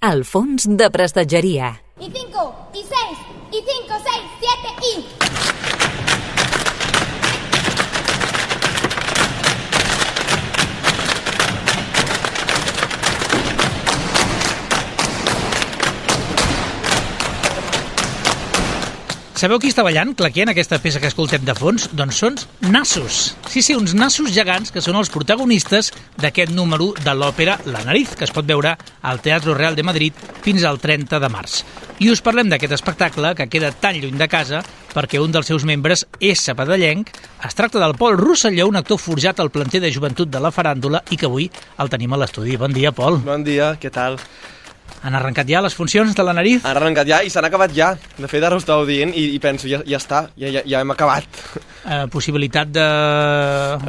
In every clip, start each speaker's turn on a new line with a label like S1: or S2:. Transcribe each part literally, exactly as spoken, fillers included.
S1: al fons de prestatgeria.
S2: Y cinco, y seis, y cinco, seis, siete, y...
S3: Sabeu qui està ballant, claquent, aquesta peça que escoltem de fons? Doncs són nassos. Sí, sí, uns nassos gegants que són els protagonistes d'aquest número de l'òpera La Nariz, que es pot veure al Teatro Real de Madrid fins al trenta de març. I us parlem d'aquest espectacle que queda tan lluny de casa perquè un dels seus membres és sabadellenc. Es tracta del Pol Rosselló, un actor forjat al planter de joventut de la faràndula i que avui el tenim a l'estudi. Bon dia, Pol.
S4: Bon dia, què tal?
S3: Han arrencat ja les funcions de La Nariz?
S4: Han arrencat ja i s'han acabat ja. De fet, ara ho estàveu dient i, i penso, ja, ja està, ja, ja, ja hem acabat.
S3: Eh, possibilitat de...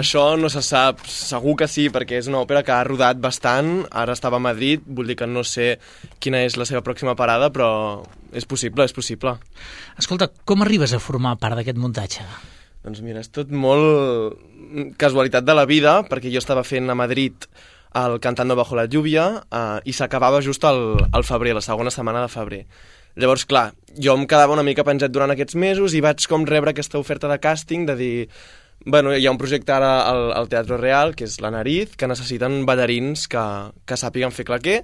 S4: Això no se sap, segur que sí, perquè és una òpera que ha rodat bastant, ara estava a Madrid, vull dir que no sé quina és la seva pròxima parada, però és possible, és possible.
S3: Escolta, com arribes a formar part d'aquest muntatge?
S4: Doncs mira, és tot molt casualitat de la vida, perquè jo estava fent a Madrid el Cantando bajo la lluvia eh, i s'acabava just al, al febrer, la segona setmana de febrer. Llavors, clar, jo em quedava una mica penjat durant aquests mesos i vaig com rebre aquesta oferta de càsting de dir, bueno, hi ha un projecte ara al, al Teatro Real, que és La Nariz, que necessiten ballarins que, que sàpiguen fer claqué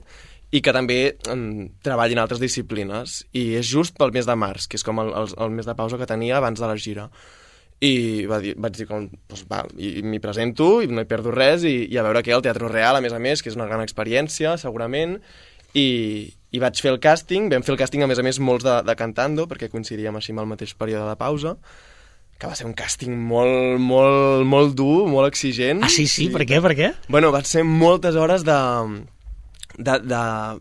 S4: i que també mm, treballin altres disciplines. I és just pel mes de març, que és com el, el, el mes de pausa que tenia abans de la gira. I va dir, vaig dir, com, doncs va, i m'hi presento i no hi perdo res i, i a veure què, al Teatro Real, a més a més, que és una gran experiència, segurament, i, i vaig fer el càsting, vam fer el càsting, a més a més, molts de, de Cantando, perquè coincidíem així amb el mateix període de pausa, que va ser un càsting molt, molt, molt dur, molt exigent.
S3: Ah, sí, sí? Per què, per què?
S4: Bueno, van ser moltes hores de... De, de,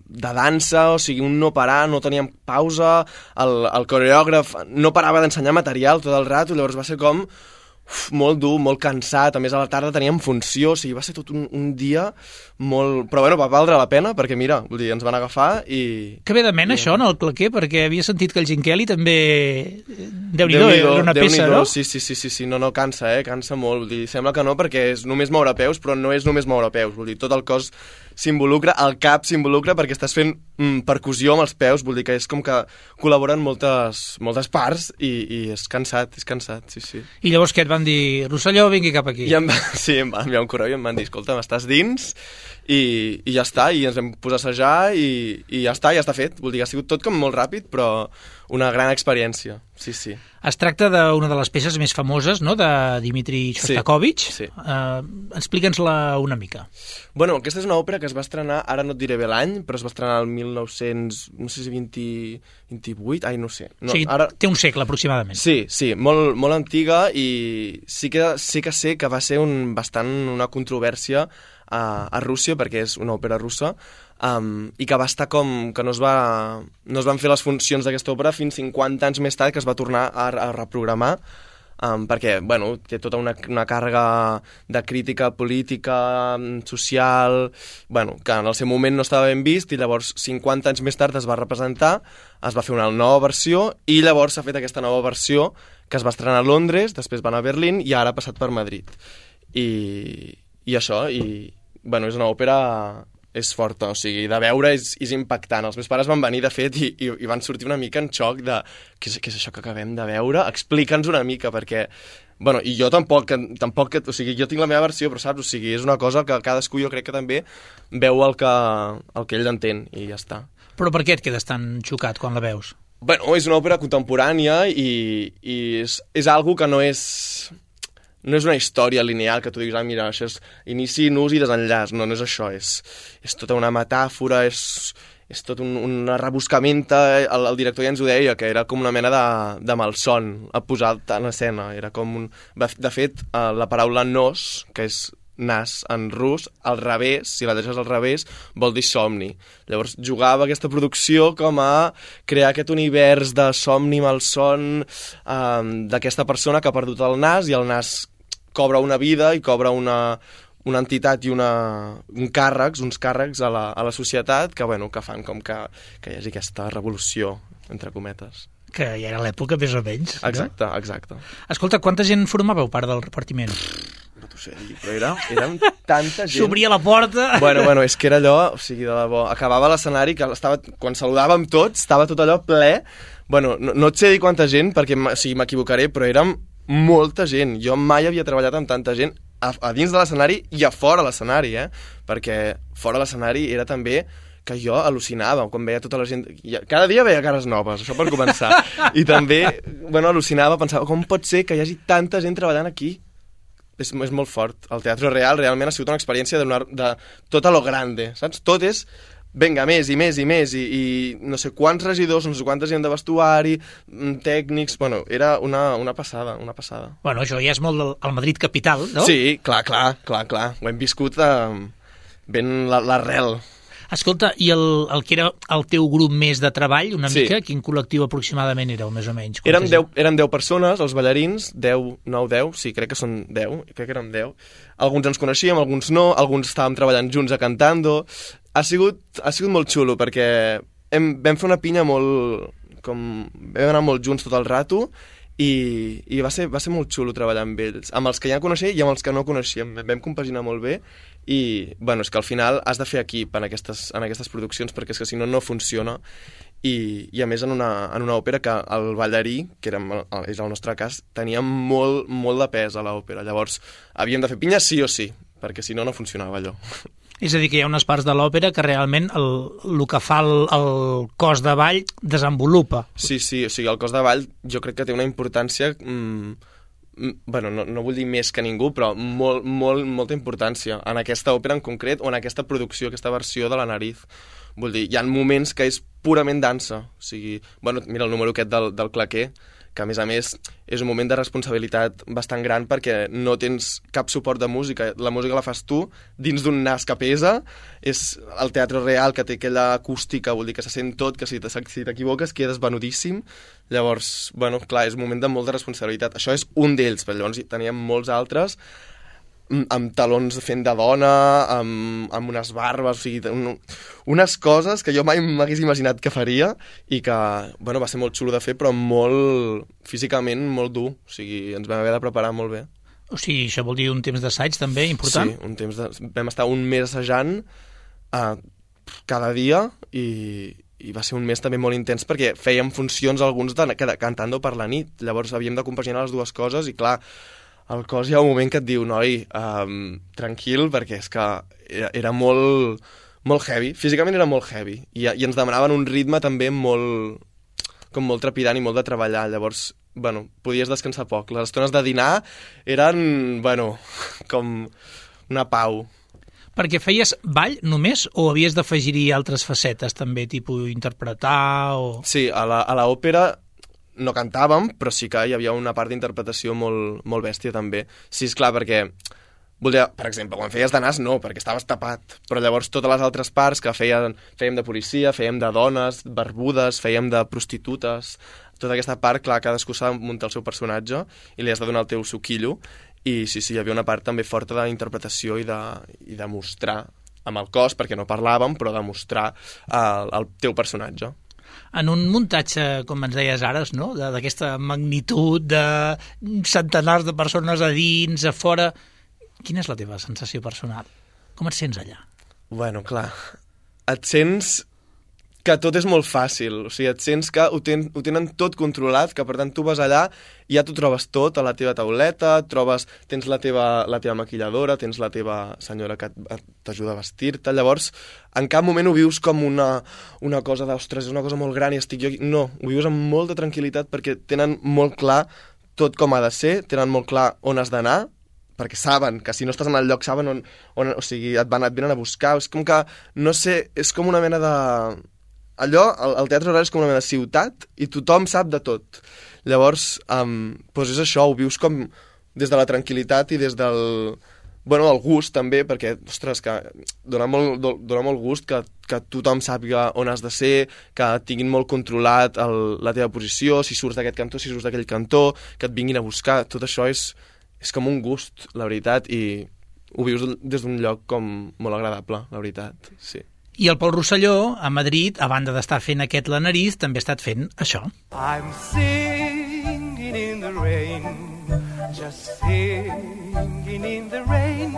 S4: de dansa, o sigui, un no parar, no teníem pausa, el, el coreògraf no parava d'ensenyar material tot el rato, llavors va ser com uf, molt dur, molt cansat, a més a la tarda teníem funció, o sigui, va ser tot un, un dia molt... Però bueno, va valdre la pena, perquè mira, vull dir, ens van agafar i...
S3: Que bé de mena, i... això, en el claquer, perquè havia sentit que el Ginchelli també... Déu-n'hi-do, era una peça, no?
S4: Sí, sí, sí, sí, sí, no, no, cansa, eh, cansa molt, vull dir, sembla que no, perquè és només moure peus, però no és només moure peus, vull dir, tot el cos s'involucra, el cap s'involucra perquè estàs fent mm, percussió amb els peus, vull dir que és com que col·laboren moltes, moltes parts i, i és cansat, és cansat, sí, sí.
S3: I llavors què et van dir? Rosselló, vingui cap aquí.
S4: I em va, sí, em van enviar un correu i em van dir, escolta, m'estàs dins i, i ja està, i ens vam posar a assajar i, i ja està, ja està fet. Vull dir, ha sigut tot com molt ràpid, però una gran experiència, sí, sí.
S3: Es tracta d'una de les peces més famoses, no?, de Dmitri Shostakovich.
S4: Sí, sí.
S3: Uh, Explica'ns-la una mica.
S4: Bueno, aquesta és una òpera que es va estrenar, ara no et diré bé l'any, però es va estrenar el mil nou-cents, no sé si vint, vint-i-vuit, ai, no sé. No,
S3: o sigui, ara... té un segle aproximadament.
S4: Sí, sí, molt, molt antiga i sí que, sí que sé que va ser un, bastant una controvèrsia a, a Rússia, perquè és una òpera russa, um, i que va estar com que no es, va, no es van fer les funcions d'aquesta òpera fins cinquanta anys més tard, que es va tornar a, a reprogramar, um, perquè, bueno, té tota una, una càrrega de crítica política, social, bueno, que en el seu moment no estava ben vist, i llavors cinquanta anys més tard es va representar, es va fer una nova versió, i llavors s'ha fet aquesta nova versió, que es va estrenar a Londres, després va anar a Berlín, i ara ha passat per Madrid. I, i això, i, bueno, és una òpera... és forta, o sigui, de veure és, és impactant. Els meus pares van venir, de fet, i, i, i van sortir una mica en xoc de què és, què és això que acabem de veure? Explica'ns una mica, perquè... Bueno, i jo tampoc, tampoc... O sigui, jo tinc la meva versió, però saps? O sigui, és una cosa que cadascú jo crec que també veu el que, el que ell entén, i ja està.
S3: Però per què et quedes tan xocat quan la veus?
S4: Bueno, és una òpera contemporània i, i és, és algo que no és... No és una història lineal que tu diguis, ah, mira, això és inici, nus i desenllaç. No, no és això, és, és tota una metàfora, és, és tot un, una rebuscamenta. El, el director ja ens ho deia, que era com una mena de, de malson a posar en escena. Era com un... De fet, la paraula nos, que és nas en rus, al revés, si la deixes al revés, vol dir somni. Llavors jugava aquesta producció com a crear aquest univers de somni malson um, d'aquesta persona que ha perdut el nas, i el nas cobra una vida i cobra una, una entitat i una, un càrrecs, uns càrrecs a la, a la societat que, bueno, que fan com que, que hi hagi aquesta revolució, entre cometes.
S3: Que ja era l'època, més o menys.
S4: Exacte, no? Exacte.
S3: Escolta, quanta gent formàveu part del repartiment?
S4: No t'ho sigui, però era, érem tanta gent...
S3: S'obria la porta...
S4: Bueno, bueno, és que era allò, o sigui, de debò, acabava l'escenari, que estava, quan saludàvem tots, estava tot allò ple. Bueno, no, no et sé dir quanta gent, perquè o sigui, m'equivocaré, però érem molta gent. Jo mai havia treballat amb tanta gent a, a dins de l'escenari i a fora l'escenari, eh? Perquè fora l'escenari era també que jo al·lucinava quan veia tota la gent... Cada dia veia cares noves, això per començar. I també, bueno, al·lucinava, pensava, com pot ser que hi hagi tanta gent treballant aquí? És, és molt fort. El Teatre Real realment ha sigut una experiència de, una, de tot a lo grande, saps? Tot és, vinga, més i més i més, i, i no sé quants regidors, no sé quanta gent de vestuari, tècnics... Bueno, era una, una passada, una passada.
S3: Bueno, això ja és molt del, al Madrid capital, no?
S4: Sí, clar, clar, clar, clar. Ho hem viscut eh, ben l'arrel.
S3: Escolta, i el, el que era el teu grup més de treball, una
S4: Sí.
S3: mica, quin col·lectiu aproximadament éreu, més o menys?
S4: Érem deu, érem deu persones, els ballarins, deu, nou, deu, sí, crec que són deu, crec que érem deu. Alguns ens coneixíem, alguns no, alguns estàvem treballant junts a Cantando. Ha sigut, ha sigut molt xulo, perquè hem, vam fer una pinya molt... Com, vam anar molt junts tot el rato, i, i va, ser, va ser molt xulo treballar amb ells, amb els que ja coneixia i amb els que no coneixíem. Vam compaginar molt bé, i bueno, és que al final has de fer equip en aquestes, en aquestes produccions, perquè és que si no, no funciona. I, i a més en una, en una òpera que el ballarí, que era, és el nostre cas, tenia molt, molt de pes a l'òpera. Llavors havíem de fer pinya sí o sí, perquè si no, no funcionava allò.
S3: És a dir, que hi ha unes parts de l'òpera que realment el, el que fa el, el cos de ball desenvolupa.
S4: Sí, sí, o sigui, el cos de ball jo crec que té una importància... Mm, bueno, no, no vull dir més que ningú, però molt, molt, molta importància en aquesta òpera en concret o en aquesta producció, aquesta versió de La Nariz. Vull dir, hi ha moments que és purament dansa. O sigui, bueno, mira el número aquest del, del claquer, que a més a més és un moment de responsabilitat bastant gran perquè no tens cap suport de música. La música la fas tu dins d'un nas que pesa, és el Teatre Real que té aquella acústica, vol dir que se sent tot, que si t'equivoques quedes venudíssim. Llavors, bueno, clar, és un moment de molta responsabilitat. Això és un d'ells, però llavors teníem molts altres amb talons fent de dona, amb, amb unes barbes, o sigui, un, unes coses que jo mai m'hagués imaginat que faria i que, bueno, va ser molt xulo de fer, però molt, físicament, molt dur. O sigui, ens vam haver de preparar molt bé.
S3: O sigui, això vol dir un temps d'assaig també important?
S4: Sí, un temps de... vam estar un mes assajant uh, cada dia i, i va ser un mes també molt intens perquè fèiem funcions alguns de, de, cantando per la nit. Llavors havíem de compaginar les dues coses i, clar, el cos hi ha un moment que et diu, noi, um, tranquil, perquè és que era, era molt, molt heavy, físicament era molt heavy, i, i ens demanaven un ritme també molt, com molt trepidant i molt de treballar, llavors, bueno, podies descansar poc. Les estones de dinar eren, bueno, com una pau.
S3: Perquè feies ball només o havies d'afegir-hi altres facetes també, tipus interpretar o...
S4: Sí, a la, a l'òpera no cantàvem, però sí que hi havia una part d'interpretació molt, molt bèstia també. Sí, esclar, perquè, volia, per exemple, quan feies de nas no, perquè estaves tapat, però llavors totes les altres parts que feien, fèiem de policia, fèiem de dones, barbudes, fèiem de prostitutes, tota aquesta part, clar, cadascú s'ha de muntar el seu personatge i li has de donar el teu suquillo, i sí, sí, hi havia una part també forta d'interpretació i de, i de mostrar amb el cos, perquè no parlàvem, però de mostrar el, el teu personatge.
S3: En un muntatge, com ens deies ara, no? D'aquesta magnitud, de centenars de persones a dins, a fora... Quina és la teva sensació personal? Com et sents allà?
S4: Bueno, clar, et sents que tot és molt fàcil, o sigui, et sents que ho, ten, ho tenen tot controlat, que per tant tu vas allà i ja t'ho trobes tot a la teva tauleta, trobes, tens la teva, la teva maquilladora, tens la teva senyora que t'ajuda a vestir-te, llavors en cap moment ho vius com una, una cosa d'ostres, és una cosa molt gran i estic jo aquí. No, ho vius amb molta tranquil·litat perquè tenen molt clar tot com ha de ser, tenen molt clar on has d'anar, perquè saben que si no estàs en el lloc saben on, on o sigui, et, van, et venen a buscar, és com que, no sé, és com una mena de... Allò, el, el Teatre Real és com una mena de ciutat i tothom sap de tot. Llavors, um, doncs és això, ho vius com des de la tranquil·litat i des del... Bueno, el gust també, perquè, ostres, que dona molt, dona molt gust que, que tothom sàpiga on has de ser, que tinguin molt controlat el, la teva posició, si surts d'aquest cantó, si surts d'aquell cantó, que et vinguin a buscar. Tot això és, és com un gust, la veritat, i ho vius des d'un lloc com molt agradable, la veritat, sí.
S3: I el Pol Rosselló, a Madrid, a banda d'estar fent aquest La Nariz, també ha estat fent això.
S5: I'm singing in the rain, just singing in the rain.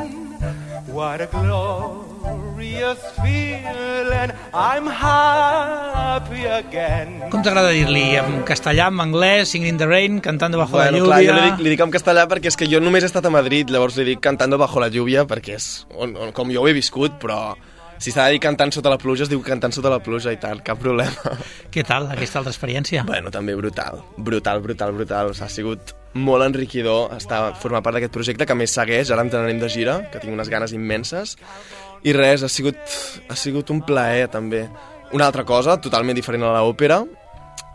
S5: What a glorious feeling, I'm happy again.
S3: Com t'agrada dir-li? En castellà, en anglès, Singing in the Rain, Cantando bajo
S4: bueno,
S3: la lluvia...
S4: Clar, jo li dic, li dic en castellà perquè és que jo només he estat a Madrid, llavors li dic Cantando bajo la lluvia perquè és on, on, com jo ho he viscut, però si s'ha de dir cantant sota la pluja es diu cantant sota la pluja i tal, cap problema.
S3: Què tal, aquesta altra experiència?
S4: Bueno, també brutal, brutal, brutal, brutal. O sigui, ha sigut molt enriquidor estar, formar part d'aquest projecte, que a més segueix, ara ens n'anem de gira, que tinc unes ganes immenses, i res, ha sigut, ha sigut un plaer també. Una altra cosa, totalment diferent a l'òpera,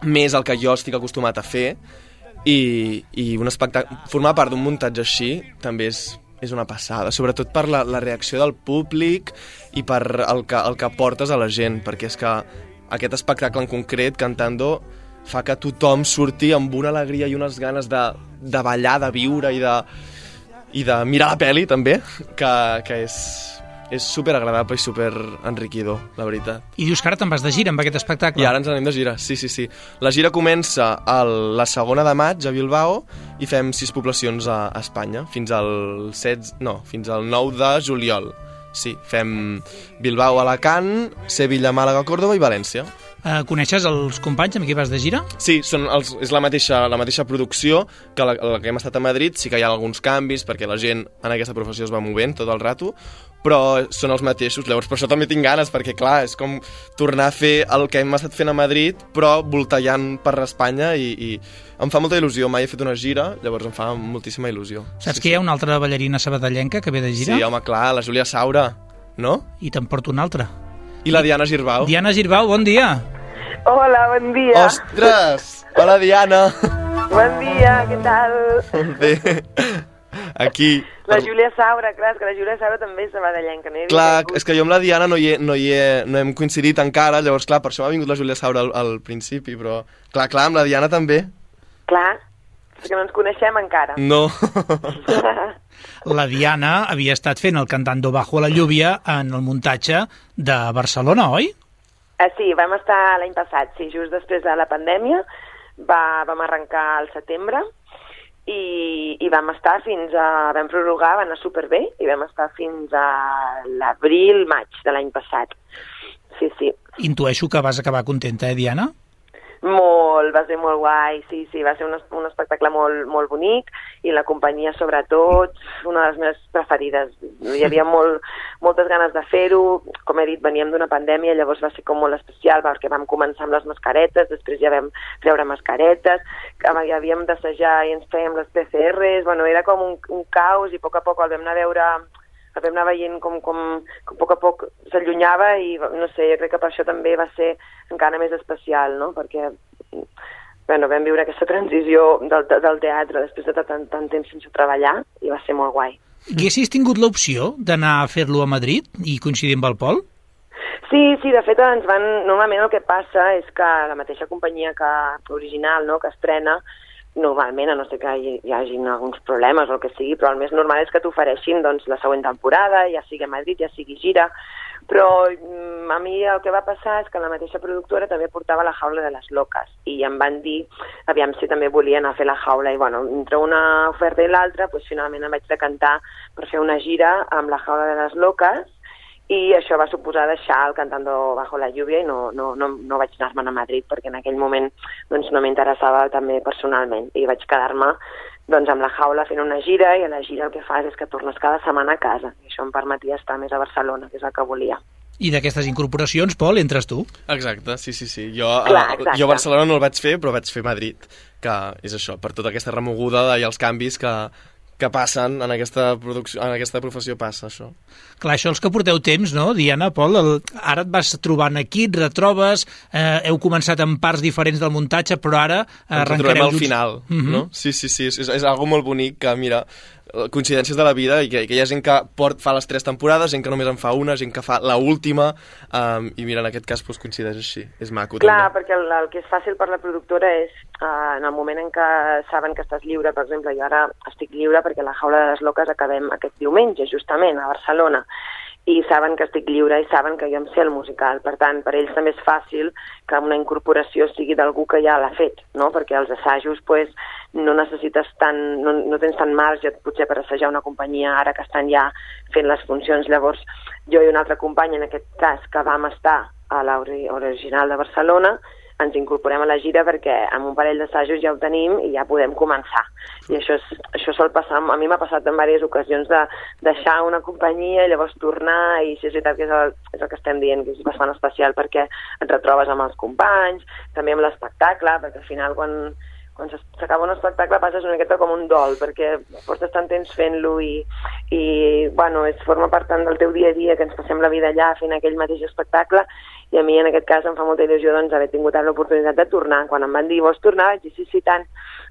S4: més el que jo estic acostumat a fer, i, i un espectacle, formar part d'un muntatge així també és, és una passada, sobretot per la, la reacció del públic i per el que, el que portes a la gent, perquè és que aquest espectacle en concret, Cantando, fa que tothom surti amb una alegria i unes ganes de, de ballar, de viure i de, i de mirar la pel·li també, que, que és, és superagradable i superenriquidor, la veritat.
S3: I dius que ara te'n vas de gira amb aquest espectacle?
S4: I ara ens anem de gira, sí, sí, sí. La gira comença el, la segona de maig a Bilbao i fem sis poblacions a, a Espanya, fins al set, no, fins al nou de juliol. Sí, fem Bilbao, Alacant, Sevilla, Màlaga, Córdoba i València.
S3: Uh, coneixes els companys amb qui vas de gira?
S4: Sí, són els, és la mateixa, la mateixa producció que la, la que hem estat a Madrid. Sí que hi ha alguns canvis perquè la gent en aquesta professió es va movent tot el rato, però són els mateixos. Llavors per això també tinc ganes, perquè clar, és com tornar a fer el que hem estat fent a Madrid, però voltallant per Espanya, i, i em fa molta il·lusió. Mai he fet una gira, llavors em fa moltíssima il·lusió.
S3: Saps
S4: sí,
S3: que hi ha
S4: sí.
S3: una altra ballarina sabadellenca que ve de gira?
S4: Sí, home, clar, la Júlia Saura, no?
S3: I te'n porto una altra.
S4: I la Diana Girbau.
S3: Diana Girbau, bon dia.
S6: Hola, bon dia.
S4: Ostres! Hola, Diana.
S6: Bon dia, què tal?
S4: Bé, aquí...
S6: La Júlia Saura, clar, és que la Júlia Saura també és sabadellenca. No
S4: clar, és que jo amb la Diana no, hi he, no, hi he, no hem coincidit encara, llavors, clar, per això m'ha vingut la Júlia Saura al, al principi, però... Clar, clar, amb la Diana també.
S6: Clar, és que no ens coneixem encara.
S4: No.
S3: La Diana havia estat fent el Cantando bajo la lluvia en el muntatge de Barcelona, oi?
S6: Ah, sí, vam estar l'any passat, sí, just després de la pandèmia, va, vam arrencar al setembre i, i vam estar fins a... vam prorrogar, va anar superbé, i vam estar fins a l'abril, maig de l'any passat. Sí, sí.
S3: Intueixo que vas acabar contenta, eh, Diana?
S6: Molt, va ser molt guai, sí, sí, va ser un, un espectacle molt, molt bonic, i la companyia, sobretot, una de les meves preferides. Hi havia molt, moltes ganes de fer-ho, com he dit, veníem d'una pandèmia, llavors va ser com molt especial, perquè vam començar amb les mascaretes, després ja vam treure mascaretes, ja havíem d'assajar i ens fèiem les P C Rs, bueno, era com un, un caos, i a poc a poc el vam anar a veure... el vam anar veient com, com, com a poc a poc s'allunyava, i no sé, jo crec que per això també va ser encara més especial, no? Perquè bueno, vam viure aquesta transició del, del teatre després de tant, tant temps sense treballar, i va ser molt guai.
S3: Haguessis tingut l'opció d'anar a fer-lo a Madrid i coincidir amb el Pol?
S6: Sí, sí, de fet ens van... Normalment el que passa és que la mateixa companyia que original, no?, que estrena, normalment, a no ser que hi, hi hagi alguns problemes o el que sigui, però el més normal és que t'ofereixin doncs, la següent temporada, ja sigui a Madrid, ja sigui gira, però mm, a mi el que va passar és que la mateixa productora també portava La jaula de les loques, i em van dir, aviam si també volien anar a fer La jaula, i bueno, entre una oferta i l'altra, doncs, finalment em vaig decantar per fer una gira amb La jaula de les loques, i això va suposar deixar el Cantando bajo la lluvia, i no, no, no, no vaig anar-me'n a Madrid, perquè en aquell moment doncs, no m'interessava també personalment, i vaig quedar-me doncs, amb La jaula fent una gira, i a la gira el que fas és que tornes cada setmana a casa, i això em permetia estar més a Barcelona, que és el que volia.
S3: I d'aquestes incorporacions, Pol, entres tu?
S4: Exacte, sí, sí, sí. Jo,
S6: Clar,
S4: a, jo a Barcelona no el vaig fer, però vaig fer Madrid, que és això, per tota aquesta remoguda i els canvis que, que passen en aquesta, producció, en aquesta professió passa, això.
S3: Clar, això els que porteu temps, no, Diana, Pol? El, ara et vas trobant aquí, et retrobes, eh, heu començat en parts diferents del muntatge, però ara
S4: arrencareu... Ens trobem al final, uh-huh. no? Sí, sí, sí, és, és algo molt bonic que, mira, coincidències de la vida, i que, que hi ha gent que port, fa les tres temporades, gent que només en fa una, gent que fa la última, um, i mira, en aquest cas pues, coincideix així, és maco.
S6: Clar,
S4: també.
S6: Perquè el, el que és fàcil per la productora és, uh, en el moment en què saben que estàs lliure, per exemple, jo ara estic lliure perquè La jaula de les loques acabem aquest diumenge, justament, a Barcelona, i saben que estic lliure i saben que jo em sé el musical. Per tant, per ells també és fàcil que una incorporació sigui d'algú que ja l'ha fet, no? Perquè els assajos pues, no necessites tant, no, no tens tant marge potser per assajar una companyia ara que estan ja fent les funcions. Llavors, jo i una altra companya, en aquest cas, que vam estar a l'original de Barcelona, ens incorporem a la gira perquè amb un parell d'assajos ja ho tenim i ja podem començar. I això, és, això sol passar, a mi m'ha passat en diverses ocasions de deixar una companyia i llavors tornar, i sí, és veritat que és el, és el que estem dient, que és bastant especial perquè et retrobes amb els companys, també amb l'espectacle, perquè al final quan, quan s'acaba un espectacle passes una miqueta com un dol, perquè portes tant temps fent-lo i, i bueno, es forma part tant del teu dia a dia que ens passem la vida allà fent aquell mateix espectacle. I a mi, en aquest cas, em fa molta il·lusió doncs, haver tingut l'oportunitat de tornar. Quan em van dir, vols tornar? Vaig dir, sí, sí, tant.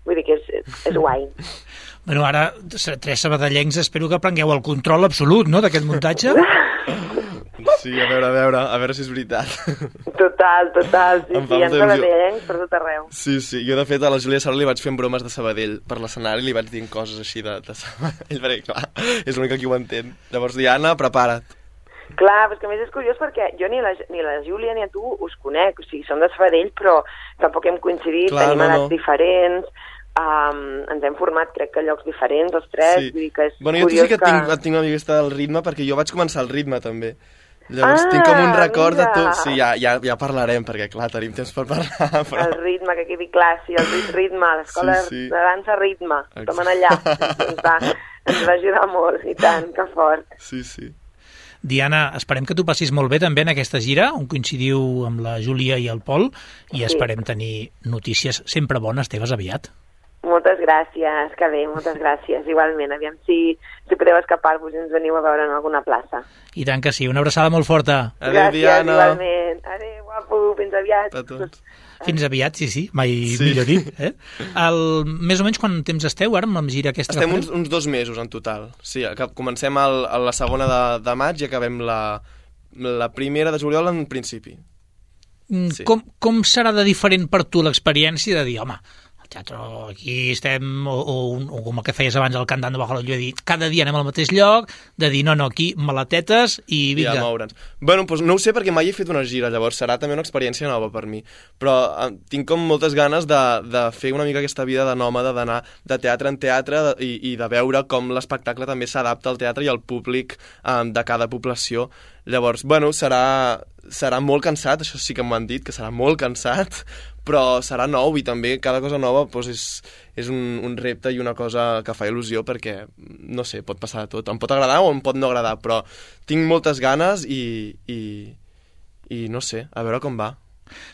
S6: Vull dir que és, és guai.
S3: Bueno, ara, tres sabadellencs, espero que prengueu el control absolut, no?, d'aquest muntatge.
S4: Sí, a veure, a veure, a veure si és veritat.
S6: Total, total. Sí, sí, hi ha sabadellencs per tot arreu.
S4: Sí, sí. Jo, de fet, a la Júlia Sala li vaig fent bromes de Sabadell per l'escenari, li vaig dient coses així de, de Sabadell, perquè, clar, és l'única que ho entén. Llavors, Diana, prepara't.
S6: Clar, però és que a més és curiós perquè jo ni la, ni la Júlia ni a tu us conec, o sigui, som de Sabadell, però tampoc hem coincidit, clar, tenim no, edats no. diferents, um, ens hem format, crec que a llocs diferents, els tres, sí. Vull dir que és
S4: bueno,
S6: curiós
S4: jo sí que, que... Tinc, tinc una mica del ritme, perquè jo vaig començar el ritme, també. Llavors ah, tinc com un record mira. de tot. Sí, ja, ja, ja parlarem, perquè, clar, tenim temps per parlar. Però...
S6: El ritme, que quedi clar, sí, el ritme, l'escola sí, sí. de dansa ritme, som allà, ens va, ens va ajudar molt, i tant, que fort.
S4: Sí, sí.
S3: Diana, esperem que tu passis molt bé també en aquesta gira, on coincidiu amb la Júlia i el Pol, i esperem sí. tenir notícies sempre bones teves aviat.
S6: Moltes gràcies, que bé, moltes gràcies. Igualment, aviam si, si podeu escapar-vos i ens veniu a veure en alguna plaça.
S3: I tant que sí, una abraçada molt forta.
S4: Adéu, gràcies, Diana.
S6: Igualment. Adéu, guapo, fins aviat.
S4: A tots.
S3: Fins aviat, sí, sí, mai sí. millor dit. Eh? El, més o menys quant temps esteu ara amb la gira aquesta?
S4: Estem uns, uns dos mesos en total. Sí, comencem el, a la segona de, de maig i acabem la, la primera de juliol en principi.
S3: Sí. Com, com serà de diferent per tu l'experiència de dir, home, teatre, aquí estem, o, o, o com el que feies abans al Cantant de Bajo la Lluvia, de dir, cada dia anem al mateix lloc, de dir, no, no, aquí, maletetes i vinga.
S4: I a moure'ns. Bueno, doncs no ho sé perquè mai he fet una gira, llavors serà també una experiència nova per mi, però eh, tinc com moltes ganes de, de fer una mica aquesta vida de nòmada, d'anar de teatre en teatre de, i, i de veure com l'espectacle també s'adapta al teatre i al públic eh, de cada població. Llavors, bueno, serà, serà molt cansat, això sí que m'ho han dit, que serà molt cansat, però serà nou i també cada cosa nova doncs, és, és un, un repte i una cosa que fa il·lusió perquè, no sé, pot passar de tot. Em pot agradar o em pot no agradar, però tinc moltes ganes i, i, i no sé, a veure com va.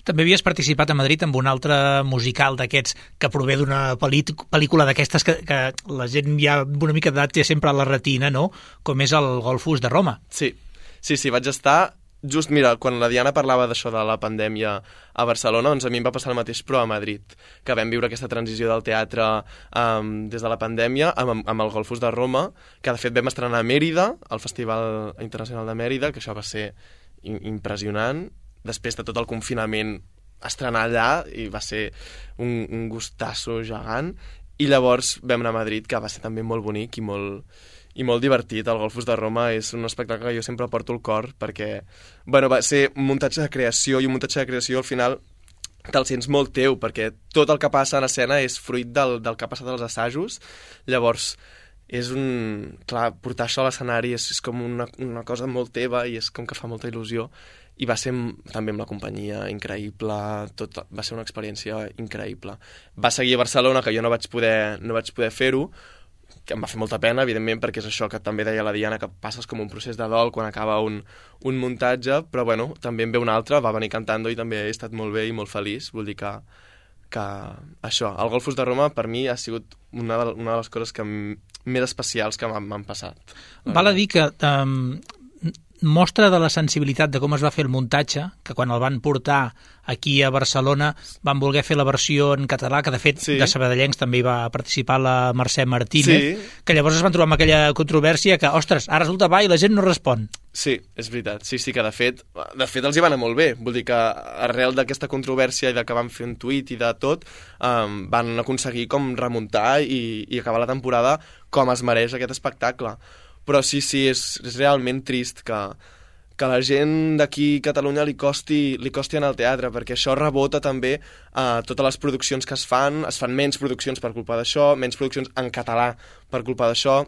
S3: També havies participat a Madrid amb un altre musical d'aquests que prové d'una pel·lícula d'aquestes que, que la gent ja una mica d'edat té sempre a la retina, no? Com és el Golfus de Roma.
S4: Sí, sí, sí, vaig estar... Just, mira, quan la Diana parlava d'això de la pandèmia a Barcelona, doncs a mi em va passar el mateix, però a Madrid, que vam viure aquesta transició del teatre um, des de la pandèmia amb, amb el Golfus de Roma, que de fet vam estrenar a Mèrida, al Festival Internacional de Mèrida, que això va ser impressionant. Després de tot el confinament, estrenar allà i va ser un, un gustasso gegant. I llavors vam anar a Madrid, que va ser també molt bonic i molt... i molt divertit. El Golfus de Roma és un espectacle que jo sempre porto al cor perquè, bueno, va ser un muntatge de creació i un muntatge de creació al final te'l sents molt teu perquè tot el que passa en escena és fruit del, del que ha passat als assajos. Llavors és un... Clar, portar això a l'escenari és, és com una, una cosa molt teva i és com que fa molta il·lusió i va ser també amb la companyia increïble, tot, va ser una experiència increïble. Va seguir a Barcelona, que jo no vaig poder, no vaig poder fer-ho, que em va fer molta pena, evidentment, perquè és això que també deia la Diana, que passes com un procés de dol quan acaba un, un muntatge, però bueno, també en ve un altre, va venir cantant i també he estat molt bé i molt feliç, vull dir que, que això, el Golfus de Roma per mi ha sigut una de, una de les coses que més especials que m'han passat.
S3: Val a dir que um, mostra de la sensibilitat de com es va fer el muntatge, que quan el van portar aquí a Barcelona van voler fer la versió en català, que de fet sí. de Sabadellencs també hi va participar la Mercè Martínez, sí. que llavors es van trobar amb aquella controvèrsia que, ostres, ara resulta va i la gent no respon.
S4: Sí, és veritat. Sí, sí, que de fet, de fet els hi va anar molt bé. Vull dir que arrel d'aquesta controvèrsia i de que van fer un tuit i de tot, um, van aconseguir com remuntar i, i acabar la temporada com es mereix aquest espectacle. però sí, sí, és, és realment trist que, que la gent d'aquí a Catalunya li costi, li costi anar al teatre, perquè això rebota també a totes les produccions que es fan, es fan menys produccions per culpa d'això, menys produccions en català per culpa d'això,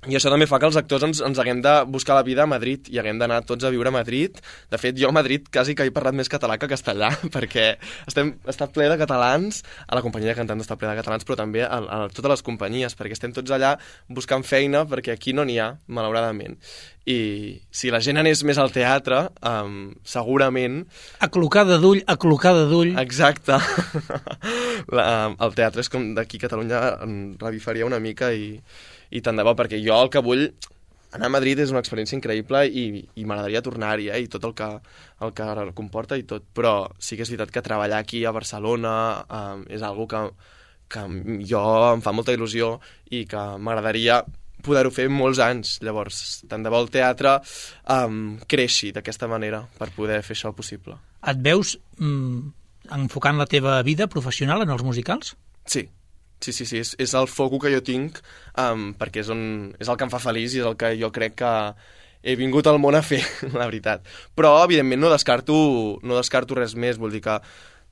S4: i això també fa que els actors ens, ens haguem de buscar la vida a Madrid i haguem d'anar tots a viure a Madrid. De fet, jo a Madrid quasi que he parlat més català que castellà, perquè estem, està ple de catalans, a la companyia de cantants està ple de catalans, però també a, a totes les companyies, perquè estem tots allà buscant feina, perquè aquí no n'hi ha, malauradament. I si la gent anés més al teatre, um, segurament...
S3: Aclocada d'ull, aclocada d'ull...
S4: Exacte. la, el teatre és com d'aquí a Catalunya revifaria una mica i... i tant de bo, perquè jo el que vull anar a Madrid és una experiència increïble i, i m'agradaria tornar-hi, eh, i tot el que, el que comporta i tot, però sí que és veritat que treballar aquí a Barcelona eh, és algo que, que jo em fa molta il·lusió i que m'agradaria poder-ho fer molts anys. Llavors, tant de bo el teatre um, creixi d'aquesta manera per poder fer això possible.
S3: Et veus mm, enfocant la teva vida professional en els musicals?
S4: Sí. Sí, sí, sí, és, és el foco que jo tinc, um, perquè és, on, és el que em fa feliç i és el que jo crec que he vingut al món a fer, la veritat. Però, evidentment, no descarto, no descarto res més, vull dir que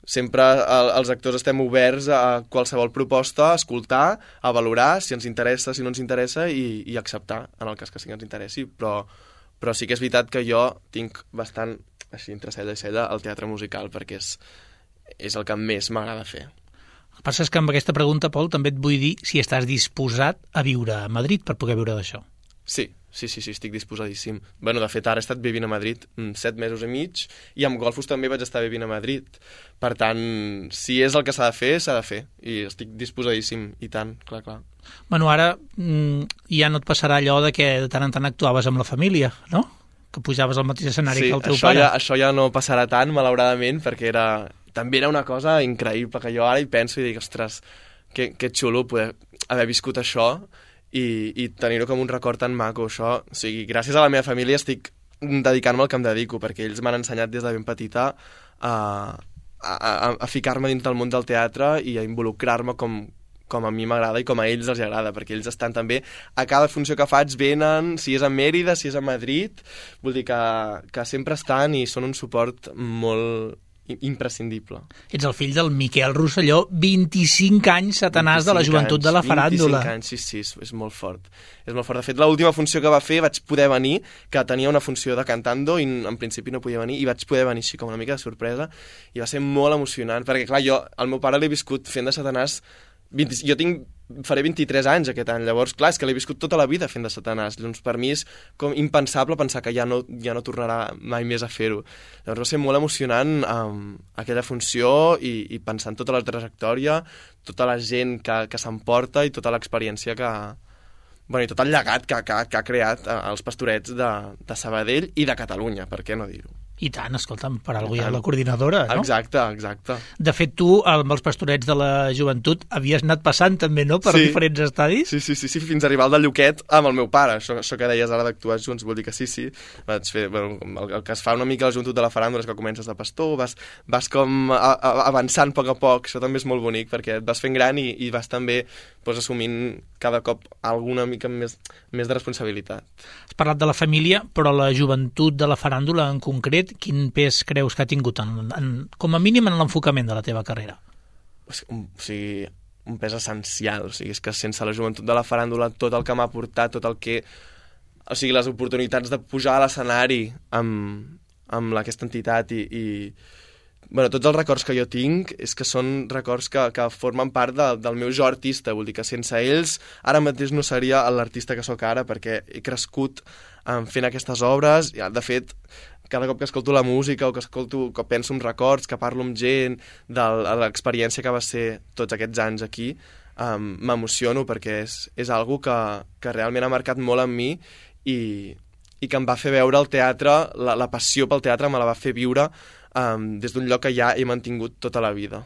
S4: sempre el, els actors estem oberts a qualsevol proposta, a escoltar, a valorar si ens interessa, si no ens interessa, i, i acceptar, en el cas que sí que ens interessi. Però, però sí que és veritat que jo tinc bastant, així, entre cella i cella, el teatre musical, perquè és, és el que més m'agrada fer.
S3: El que passa és que amb aquesta pregunta, Pol, també et vull dir si estàs disposat a viure a Madrid per poder viure d'això.
S4: Sí, sí, sí, sí, estic disposadíssim. Bueno, de fet, ara he estat vivint a Madrid set mesos i mig i amb Golfos també vaig estar vivint a Madrid. Per tant, si és el que s'ha de fer, s'ha de fer. I estic disposadíssim, i tant, clar, clar.
S3: Bueno, ara mm, ja no et passarà allò de que de tant en tant actuaves amb la família, no? Que pujaves al mateix escenari
S4: sí,
S3: que el teu
S4: això
S3: pare.
S4: Ja, això ja no passarà tant, malauradament, perquè era... també era una cosa increïble, que jo ara hi penso i dic, ostres, que, que xulo poder haver viscut això i, i tenir-ho com un record tan maco, això. O sigui, gràcies a la meva família estic dedicant-me al que em dedico, perquè ells m'han ensenyat des de ben petita a, a, a, a ficar-me dins del món del teatre i a involucrar-me com, com a mi m'agrada i com a ells els agrada, perquè ells estan també a cada funció que faig, venen, si és a Mèrida, si és a Madrid, vull dir que, que sempre estan i són un suport molt imprescindible.
S3: Ets el fill del Miquel Rosselló, vint-i-cinc anys satanàs de la joventut anys, de la faràndula.
S4: vint-i-cinc anys, sí, sí, és, és molt fort. És molt fort. De fet, l'última funció que va fer vaig poder venir, que tenia una funció de cantando i en principi no podia venir, i vaig poder venir així com una mica de sorpresa, i va ser molt emocionant, perquè clar, jo, el meu pare l'he viscut fent de satanàs vint, jo tinc, faré vint-i-tres anys aquest any, llavors, clar, és que l'he viscut tota la vida fent de satanàs, doncs per mi és com impensable pensar que ja no, ja no tornarà mai més a fer-ho. Llavors va ser molt emocionant um, aquella funció i, i pensar en tota la trajectòria, tota la gent que, que s'emporta i tota l'experiència que... Bueno, i tot el llegat que, que, que ha creat els Pastorets de, de Sabadell i de Catalunya, per què no dir-ho?
S3: I tant, escolta'm, per alguna cosa hi ha la coordinadora, no?
S4: Exacte, exacte.
S3: De fet, tu, amb els Pastorets de la Joventut, havies anat passant també, no?, per
S4: sí.
S3: diferents estadis?
S4: Sí, sí, sí, sí, fins a arribar al de Lluquet amb el meu pare. Això, això que deies ara d'actuar junts, vol dir que sí, sí. Vaig fer, bueno, el, el que es fa una mica a la Joventut de la Faràndula és que comences de pastor, vas, vas com a, a, avançant a poc a poc, això també és molt bonic, perquè et vas fent gran i, i vas també pues, assumint cada cop alguna mica més, més de responsabilitat.
S3: Has parlat de la família, però la joventut de la faràndula en concret, quin pes creus que ha tingut, en, en, com a mínim en l'enfocament de la teva carrera?
S4: O sigui, un pes essencial. O sigui, és que sense la joventut de la faràndula, tot el que m'ha portat, tot el que... O sigui, les oportunitats de pujar a l'escenari amb, amb aquesta entitat i... i bueno, tots els records que jo tinc és que són records que, que formen part de, del meu jo artista, vull dir que sense ells ara mateix no seria l'artista que sóc ara, perquè he crescut um, fent aquestes obres, i, de fet, cada cop que escolto la música o que escolto, que penso en records, que parlo amb gent de, de l'experiència que va ser tots aquests anys aquí, um, m'emociono perquè és, és algo que, que realment ha marcat molt en mi i, i que em va fer veure el teatre, la, la passió pel teatre me la va fer viure Um, des d'un lloc que ja he mantingut tota la vida.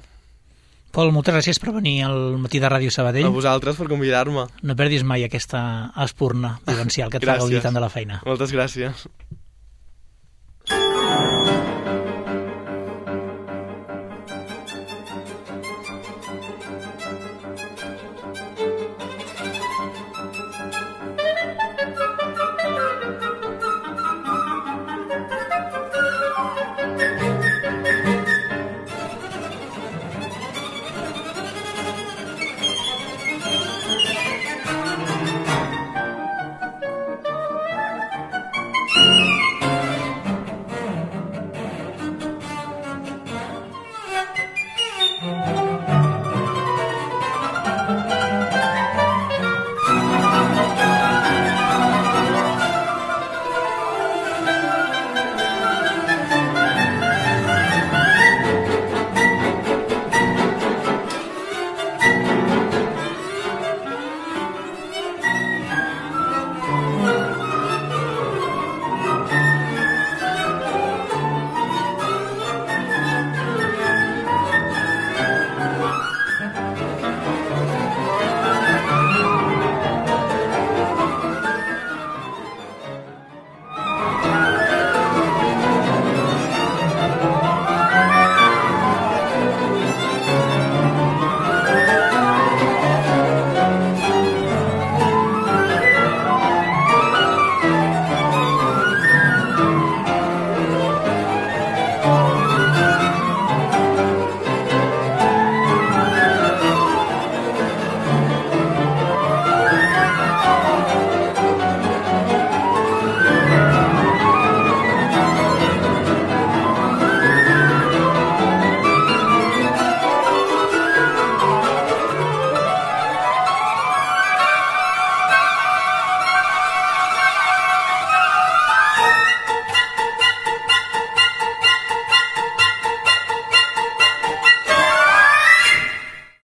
S3: Pol, moltes gràcies per venir al Matí de Ràdio Sabadell.
S4: A vosaltres per convidar-me.
S3: No perdis mai aquesta espurna vivencial que et fa gaudir tant de la feina.
S4: Moltes gràcies.
S2: Thank you.